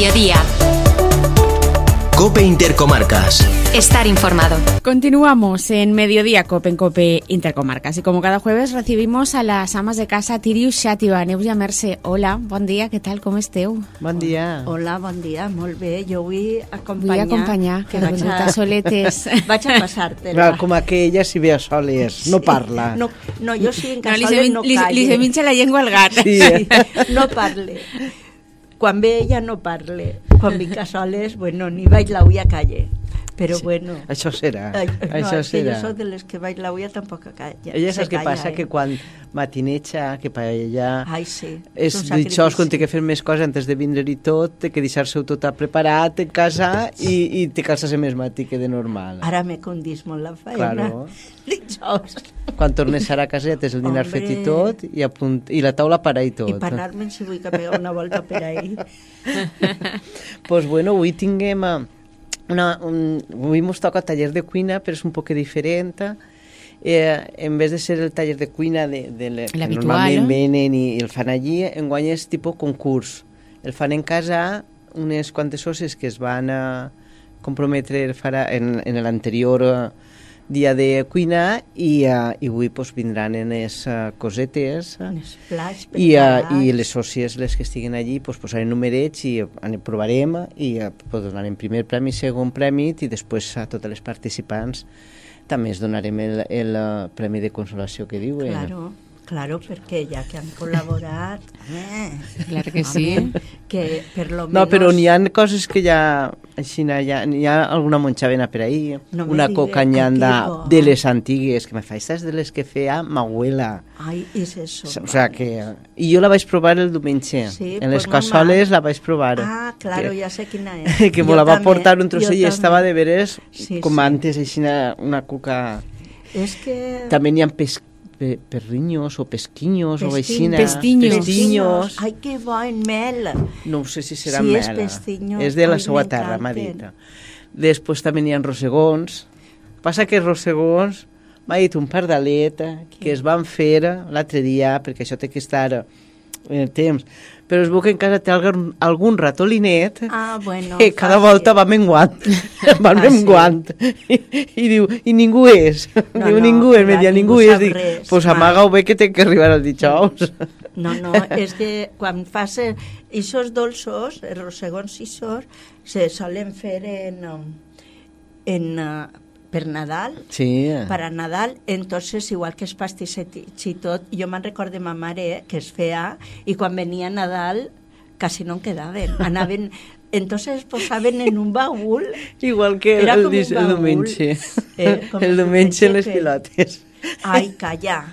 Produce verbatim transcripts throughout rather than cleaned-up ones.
mediodía. COPE Intercomarcas. Estar informado. Continuamos en Mediodía COPE en COPE Intercomarcas y como cada jueves recibimos a las amas de casa Tirius Xàtiva, Neus i Mercè. Hola, bon dia, què tal, com esteu? Bon dia. Hola, bon dia, molt bé. Jo vull acompanyar... Vull acompanyar, que vaig a soletes. Vaig a passar-te-la. Va, com aquella si ve a soles, no parla. No, no jo si en No, li, soles se, no li, calle. li se minxa la llengua al gat. Sí. No parle. Quan ve ella no parle. Quan vinc a soles, bueno, ni vaig la ulla a calle. Però Sí, bueno... Això serà, Ai, no, això és que serà. jo soc de les que vaig la ulla tampoc a calle. Ella saps se què calla, passa? eh? Que quan matineja, que per ella Ai, sí. és un ditxós quan té sacrifici. que fer més coses antes de vindre-hi tot, té que deixar-se-ho tot preparat en casa i, i té que ser més matí que de normal. Ara me condís molt la feina. Claro. Dijous. Quan tornes a la caseta és el dinar Hombre. fet i tot i, a punt, i la taula para i tot. I per anar-me'n si vull que pegar una volta per ahí. Pues bueno, avui tinguem eh, una, un, avui mos toca taller de cuina, però és un poc diferent. Eh, en vez de ser el taller de cuina de, de le, que L'habitual, normalment eh? venen i, i el fan allí, enguany és tipus concurs. El fan en casa unes quantes socis que es van a comprometre farà en, en l'anterior eh, dia de cuina i, uh, i avui pues, vindran en les uh, cosetes uh, Els plats i, uh, preparats. i les sòcies, les que estiguen allí, pues, posarem numerets i en provarem i uh, pues, donarem primer premi, segon premi i després a totes les participants també es donarem el, el uh, premi de consolació que diuen. Claro, claro, perquè ja que han col·laborat, eh, Clar que sí. home, que per lo No, menos... però n'hi ha coses que ja, així, ja, n'hi ha alguna monxavena per ahí, No me una digue, cocanyanda ai, que bo. de les antigues, que me fa, estas de les que feia ma abuela. Ai, és això. O sea que... I jo la vaig provar el diumenge. Sí, en les pues molt cassoles mal. la vaig provar. Ah, claro, que, ja sé quina és. que me Jo la va també, portar un trosset jo i estava de també. veres Sí, com sí. antes, així una, una cuca... És que... També n'hi ha pes, pe, perriños o pesquiños o Pestin- aixina. Pestiños. Pestiños. Ai, que bo, en mel. No sé si serà Sí, és mela. pestiños. És de la Ai, seva terra, m'ha m'encanten. dit. Després també n'hi ha rossegons. Passa que rossegons m'ha dit un pardalet que es van fer l'altre dia, perquè això té que estar en el temps, però es veu que en casa té algun, algun ratolinet Ah, bueno. que cada fàcil. volta va menguant, va Fàcil. menguant. I, i diu, i ningú és. No, diu, no, ningú és, clar, me dia, ningú ningú és. sap Dic, res, pues clar. amaga-ho bé que té que arribar el dijous. No, no, és que quan fas aquests dolços, els rossegons i sos, se solen fer en, um, en, uh, per Nadal, Sí. para Nadal, entonces igual que els pastissets i tot, jo me'n recordo de ma mare que es feia i quan venia Nadal quasi no en quedaven, anaven, entonces posaven en un baúl. Igual que el, Era el, com un dis- el baúl. diumenge. Eh, com el el diumenge en les diumenge, pilotes. Ai, calla,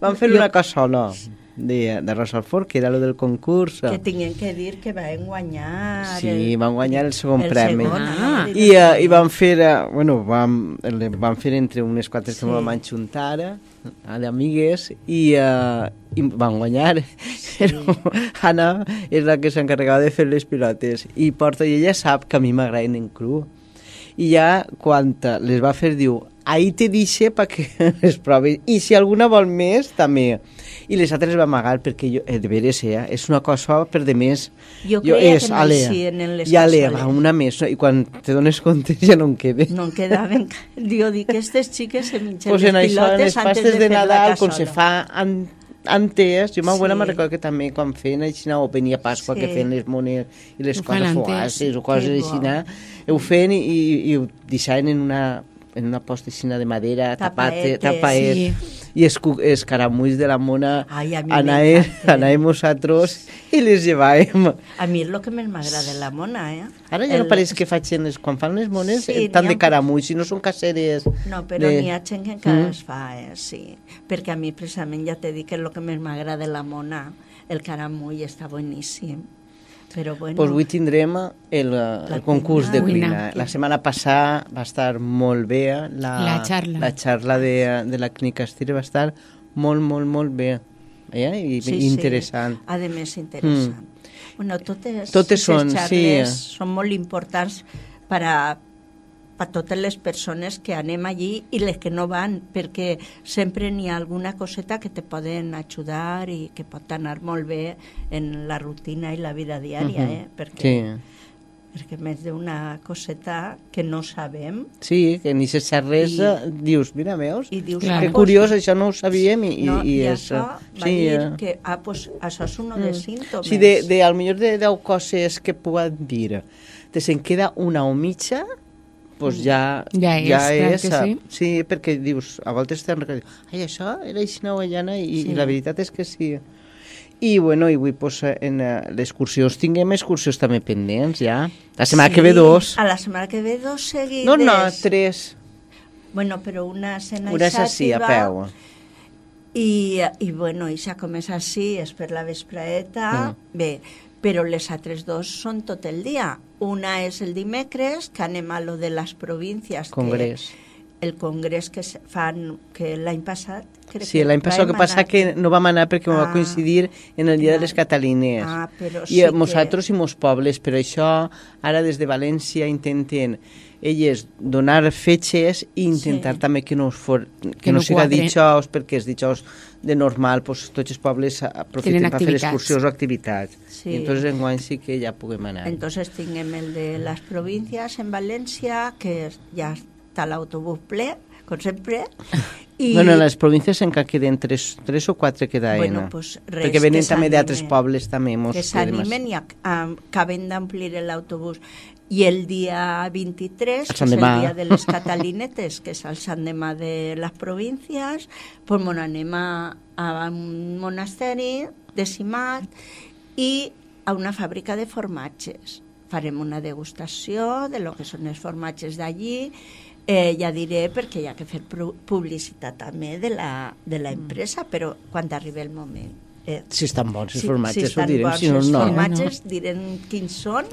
Van fer Jo- una cassola de, de Rosalfort, que era lo del concurs. que tinguem que dir que van guanyar. Sí, van guanyar el segon el premi. segon, Ah. no? I, uh, i van fer, uh, bueno, van, el van fer entre unes quatre Sí. que me van juntar, uh, d'amigues, i, uh, i van guanyar. Però Anna és la que s'encarregava de fer les pilotes, i porta, i ella sap que a mi m'agraden en cru. I ja, quan les va fer, diu, ahí te dixe perquè les proves, i si alguna vol més, també. I les altres va amagar, perquè jo, eh, de veres, eh, és una cosa per de més. Jo creia és, que no ale, eixien en les i ale, cassoles. va, una més, no? I quan te dones compte ja no en queda. No en quedaven. Jo dic que aquestes xiques se minxen Pues les en això, en pilotes les antes pastes de, de fer la Nadal, quan se cassola. fa an, antes, jo m'abuela Sí. me recordo que també quan feien així, o venia Pasqua, Sí. que feien les mones i les Ho fan coses antes. fugaces o coses Que així, bo. ho feien i, i, i ho deixaven en una, en una posta així de madera, tapat, Tapaetes. tapaet, Sí. i els, cu- els caramulls de la mona Ai, a mi anàvem, m'encanten. anàvem nosaltres i les llevàvem. A mi és el que més m'agrada de la mona, eh? Ara ja El- no pareix que facin, les, quan fan les mones, Sí, sí, tant n'hi ha de caramulls, si no són caseres. No, però de- n'hi ha gent que encara Mm. es fa, eh? Sí. Perquè a mi, precisament, ja t'he dit que és el que més m'agrada de la mona. El caramull està boníssim. Però, bueno... Pues avui tindrem el, el concurs de cuina. cuina. La setmana passada va estar molt bé. La, La xarla. La xarla de, de la Clínica Estir va estar molt, molt, molt bé. Eh? I, sí, i interessant. Sí. A més, interessant. Mm. Bueno, totes, Totes són, les sí. xarles són molt importants per a per totes les persones que anem allí i les que no van, perquè sempre n'hi ha alguna coseta que te poden ajudar i que pot anar molt bé en la rutina i la vida diària, Uh-huh. eh? Perquè Sí. perquè més d'una coseta que no sabem. Sí, que ni se sap res, I, dius, mira, veus? I dius, Clar. Que curiós, això no ho sabíem i, no, i, i és... això va sí, dir eh. que ah, pues, això és un mm. dels símptomes. Sí, de, de, al millor de deu coses que puguem dir, te se'n queda una o mitja, pues ja, ja és, ja clar és que sí. sí, perquè dius, a voltes te'n recordes, ai, això era així novellana, i, Sí. i la veritat és que sí. I, bueno, i avui, pues, en uh, les excursions, tinguem excursions també pendents, ja. La setmana Sí, que ve dos. A la setmana que ve dos seguides. No, no, tres. Bueno, però una cena Una és així, a peu. I, i bueno, i ja com és així, és per la vespraeta, mm. bé, però les altres dos són tot el dia. Una és el dimecres, que anem a lo de les províncies. Congrés. Que el congrés que fan, que l'any passat... Crec Sí, l'any passat que passa que no vam anar perquè ah, va coincidir en el dia clar. de les Catalines. Ah, però I sí nosaltres que... i mos pobles, per això ara des de València intenten elles donar fetges i intentar Sí. també que no, for, que Que no, no siga quadre. dijous, perquè els dijous de normal pues, tots els pobles aprofiten Tenen per fer activitats. excursions o activitats. Sí. I entonces enguany sí que ja puguem anar. Entonces tinguem el de les províncies en València, que ja està l'autobús ple, com sempre. I... Bueno, en les províncies encara queden tres, tres o quatre quedaven. Bueno, pues res, perquè venen que també d'altres s'animen. pobles també. Mos que quedem s'animen i ac acaben d'amplir l'autobús. I el dia vint-i-tres, El que Sant és el Demà. dia de les Catalinetes, que és el Sant Demà de les províncies, pues mon anem a, a un monasteri decimat i a una fàbrica de formatges. Farem una degustació de lo que són els formatges d'allí. Eh, ja diré, perquè hi ha que fer publicitat també de la, de la empresa, però quan arribi el moment. Eh, Si estan bons els si, formatges, si ho direm, bons si no, els no. formatges, direm quins són,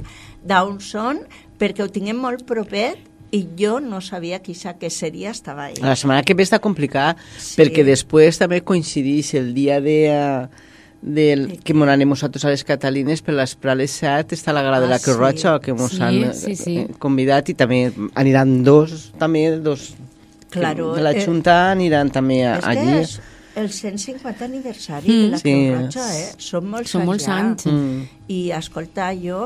d'on són, perquè ho tinguem molt propet i jo no sabia quizá que seria, estava ahí. La setmana que ve està complicat, Sí. perquè després també coincideix el dia de... Uh, del, que mon anem nosaltres a les Catalines, per l'Esprat les set està la gala Ah, de la Creu sí. Roja, que mos Sí, han sí, sí. eh, convidat, i també aniran dos, també dos Claro, de la eh, Junta aniran també a, És allí. que és el cent cinquanta aniversari Mm. de la Sí. Creu Roja, eh? Són molts Són anys molts ja. anys. Mm. I, escolta, jo,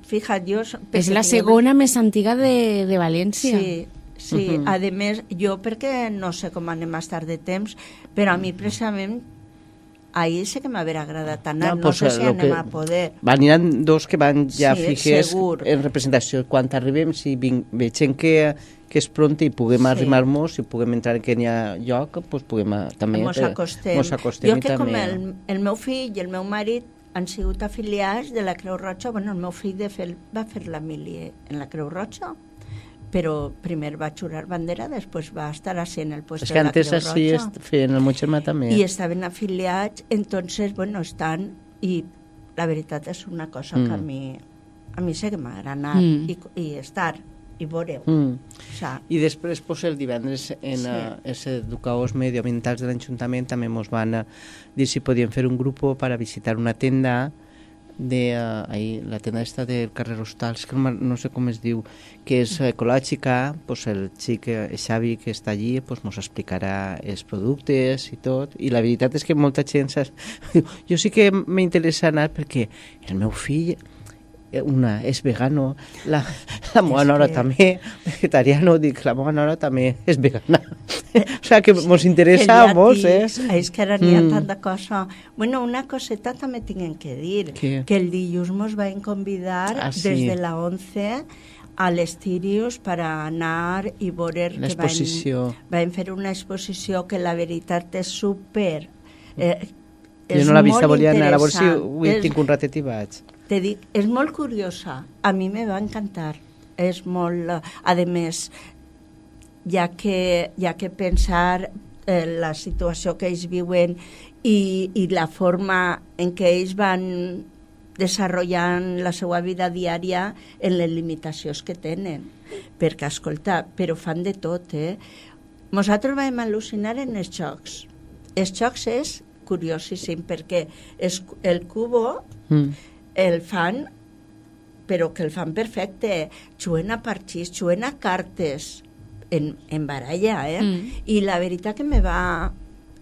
fíjate, jo... És la segona més antiga de, de València. Sí, sí. Mhm. A més, jo perquè no sé com anem a estar de temps, però a mi precisament ahir sí que m'haurà agradat anar, No, no, pues, sé si lo anem que- a poder. Aniran dos que van ja Sí, fixes segur. en representació. Quan arribem, si vinc, vegem que, que és pront i puguem Sí. arrimar-nos, si puguem entrar que n'hi ha lloc, pues puguem a, també... Mos eh, acostem. Mos acostem jo i que com també... el, el meu fill i el meu marit han sigut afiliats de la Creu Roja, bueno, el meu fill de fer, va fer la mili en la Creu Roja, però primer va jurar bandera, després va estar així en el puesto És de que la antes Creu així Roja. es feien el meu germà també. I estaven afiliats, entonces, bueno, estan, i la veritat és una cosa Mm. que a mi, a mi sí que m'agrada anar Mm. i, i estar, i veure-ho. Mm. O sea, I després, pues, el divendres, en Sí. sí. els educadors medioambientals de l'Ajuntament també ens van a dir si podíem fer un grup per a visitar una tenda de, uh, ahí, la tenda esta del carrer Hostals, que no, me- no sé com es diu, que és ecològica, pues el xic, eh, Xavi, que està allí, pues mos explicarà els productes i tot, i la veritat és que molta gent saps, diu, jo sí que m'interessa anar perquè el meu fill eh, una és vegano, la, la meva És nora que- també, vegetariano, dic, la meva nora també és vegana. O sea, que mos interessa geriàtics, molt, eh? És que ara n'hi ha Mm. tanta cosa. Bueno, una coseta també tinguem que dir, Què? que el dilluns mos van convidar Ah, sí. des de la once a les Tirius per anar i veure que van, L'exposició. van fer una exposició que la veritat és super... Eh, Jo és no l'he vist, molt volia anar, a veure si interessant. avui És- tinc un ratet i vaig. Te dic, és molt curiosa. A mi me va encantar. És molt... eh, A més, ja que, ja que pensar eh, la situació que ells viuen i, i la forma en què ells van desenvolupant la seva vida diària en les limitacions que tenen. Perquè, escolta, però fan de tot, eh? Nosaltres vam al·lucinar en els jocs. Els jocs és curiosíssim perquè és, el cubo Mm. el fan, però que el fan perfecte. Juguen a partits, juguen a cartes en, en baralla, eh? Mm. I la veritat que me va,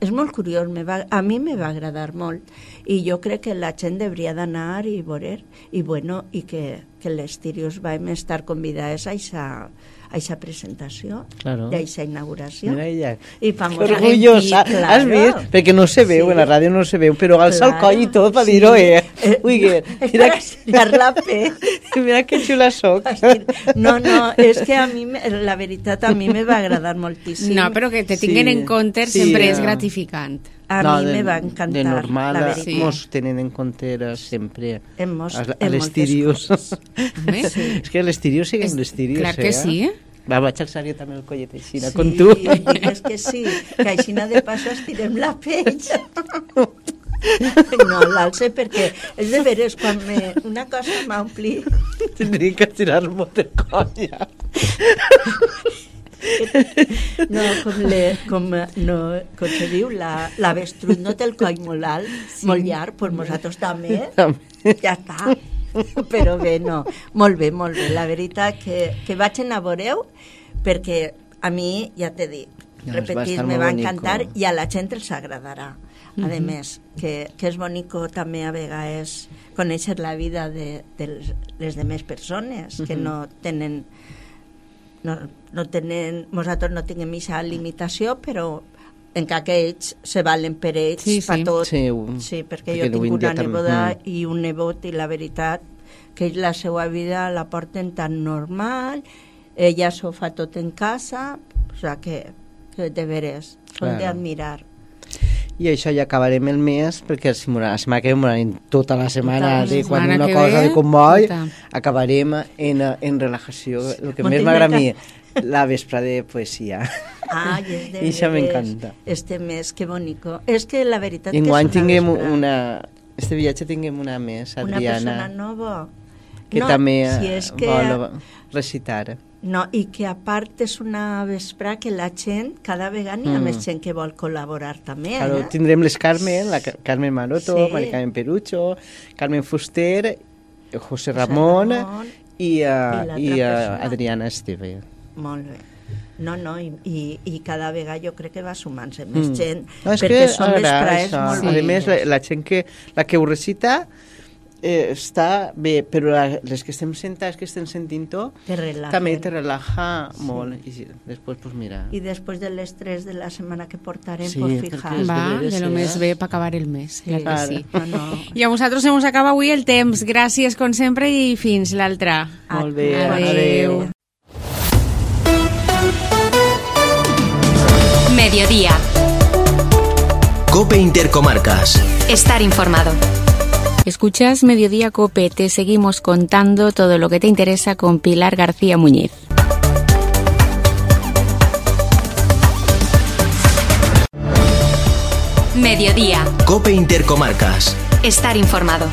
és molt curiós, me va, a mi me va agradar molt i jo crec que la gent hauria d'anar i veure i bueno, i que, que les Tirius vam estar convidades a aquesta a esa presentació, claro. a esa inauguració. Mira ella, I orgullosa, claro. has vist? Perquè no se veu, sí. En la ràdio no se veu, però alça claro. El coll i tot per sí. Dir-ho, eh? Uiguer, mira que... la pe. Mira que xula soc. No, no, és que a mi, la veritat, a mi me va agradar moltíssim. No, però que te tinguin sí. En compte sí, sempre és gratificant. A no, mi de, me va encantar. De normal, la sí. Mos tenen en compte sempre mos, a, a les Tirius. Sí. És que les Tirius siguen les Tirius, clar que eh? Sí. Va, vaig alçar jo també el collet aixina, sí, com tu. Sí, digues que sí, que aixina de passo estirem la pell. No, l'alce perquè és de veres, quan me, una cosa m'ompli... Tindria que tirar-me de colla. No, com, le, com, no, com se diu, l'avestrut la no té el coll molt alt, sí. Molt llarg, doncs nosaltres també, ja està. Però bé, no, molt bé, molt bé. La veritat que, que vaig anar a veureu perquè a mi, ja t'he dit, no, repetir, me va encantar bonico. I a la gent els agradarà. Uh -huh. A més, que, que és bonico també a vegades conèixer la vida de, de les demés persones que uh -huh. no tenen no, no tenen, nosaltres no tinguem aquesta limitació, però encara que ells se valen per ells sí, per sí. tot. Sí, un, sí, perquè jo tinc una neboda mm. i un nebot i la veritat que ells la seva vida la porten tan normal, ella s'ho fa tot en casa, o sigui que, que de veres, són claro. D'admirar. I això ja acabarem el mes, perquè la setmana que ve morarem tota la setmana, tota la de quan una cosa ve, de comboi, acabarem en, en relajació. El que més m'agrada a mi, la vesprada de poesia. Ah, i és de I això m'encanta. Este mes, que bonico. És que la veritat I que és una tinguem vesprada. una... Este viatge tinguem una més, Adriana. Una persona nova. Que no, també si és que... vol recitar. No, i que a part és una vesprada que la gent, cada vegada hi ha mm. més gent que vol col·laborar també. Claro, eh? tindrem les Carmen, la Carmen Maroto, sí. Mari Carmen Perucho, Carmen Fuster, José Ramón, José Ramón i, uh, i, i uh, Adriana Esteve. Molt bé. No, no, i, i, i cada vegada jo crec que va sumant-se més mm. gent, no, perquè són vesprades molt sí. A més, la, la gent que, la que ho recita eh, està bé, però la, les que estem sentades, que estem sentint-ho, també te relaja sí. Molt. I sí, després, pues mira... I després de l'estrès de la setmana que portarem, sí, pues fijar. Va, de lo més bé per acabar el mes. Sí, clar sí. No, no. I a vosaltres se us acaba avui el temps. Gràcies, com sempre, i fins l'altre. Molt bé, adeu. adeu. Mediodía. COPE Intercomarcas. Estar informado. Escuchas Mediodía COPE, te seguimos contando todo lo que te interesa con Pilar García Muñiz. Mediodía. COPE Intercomarcas. Estar informado.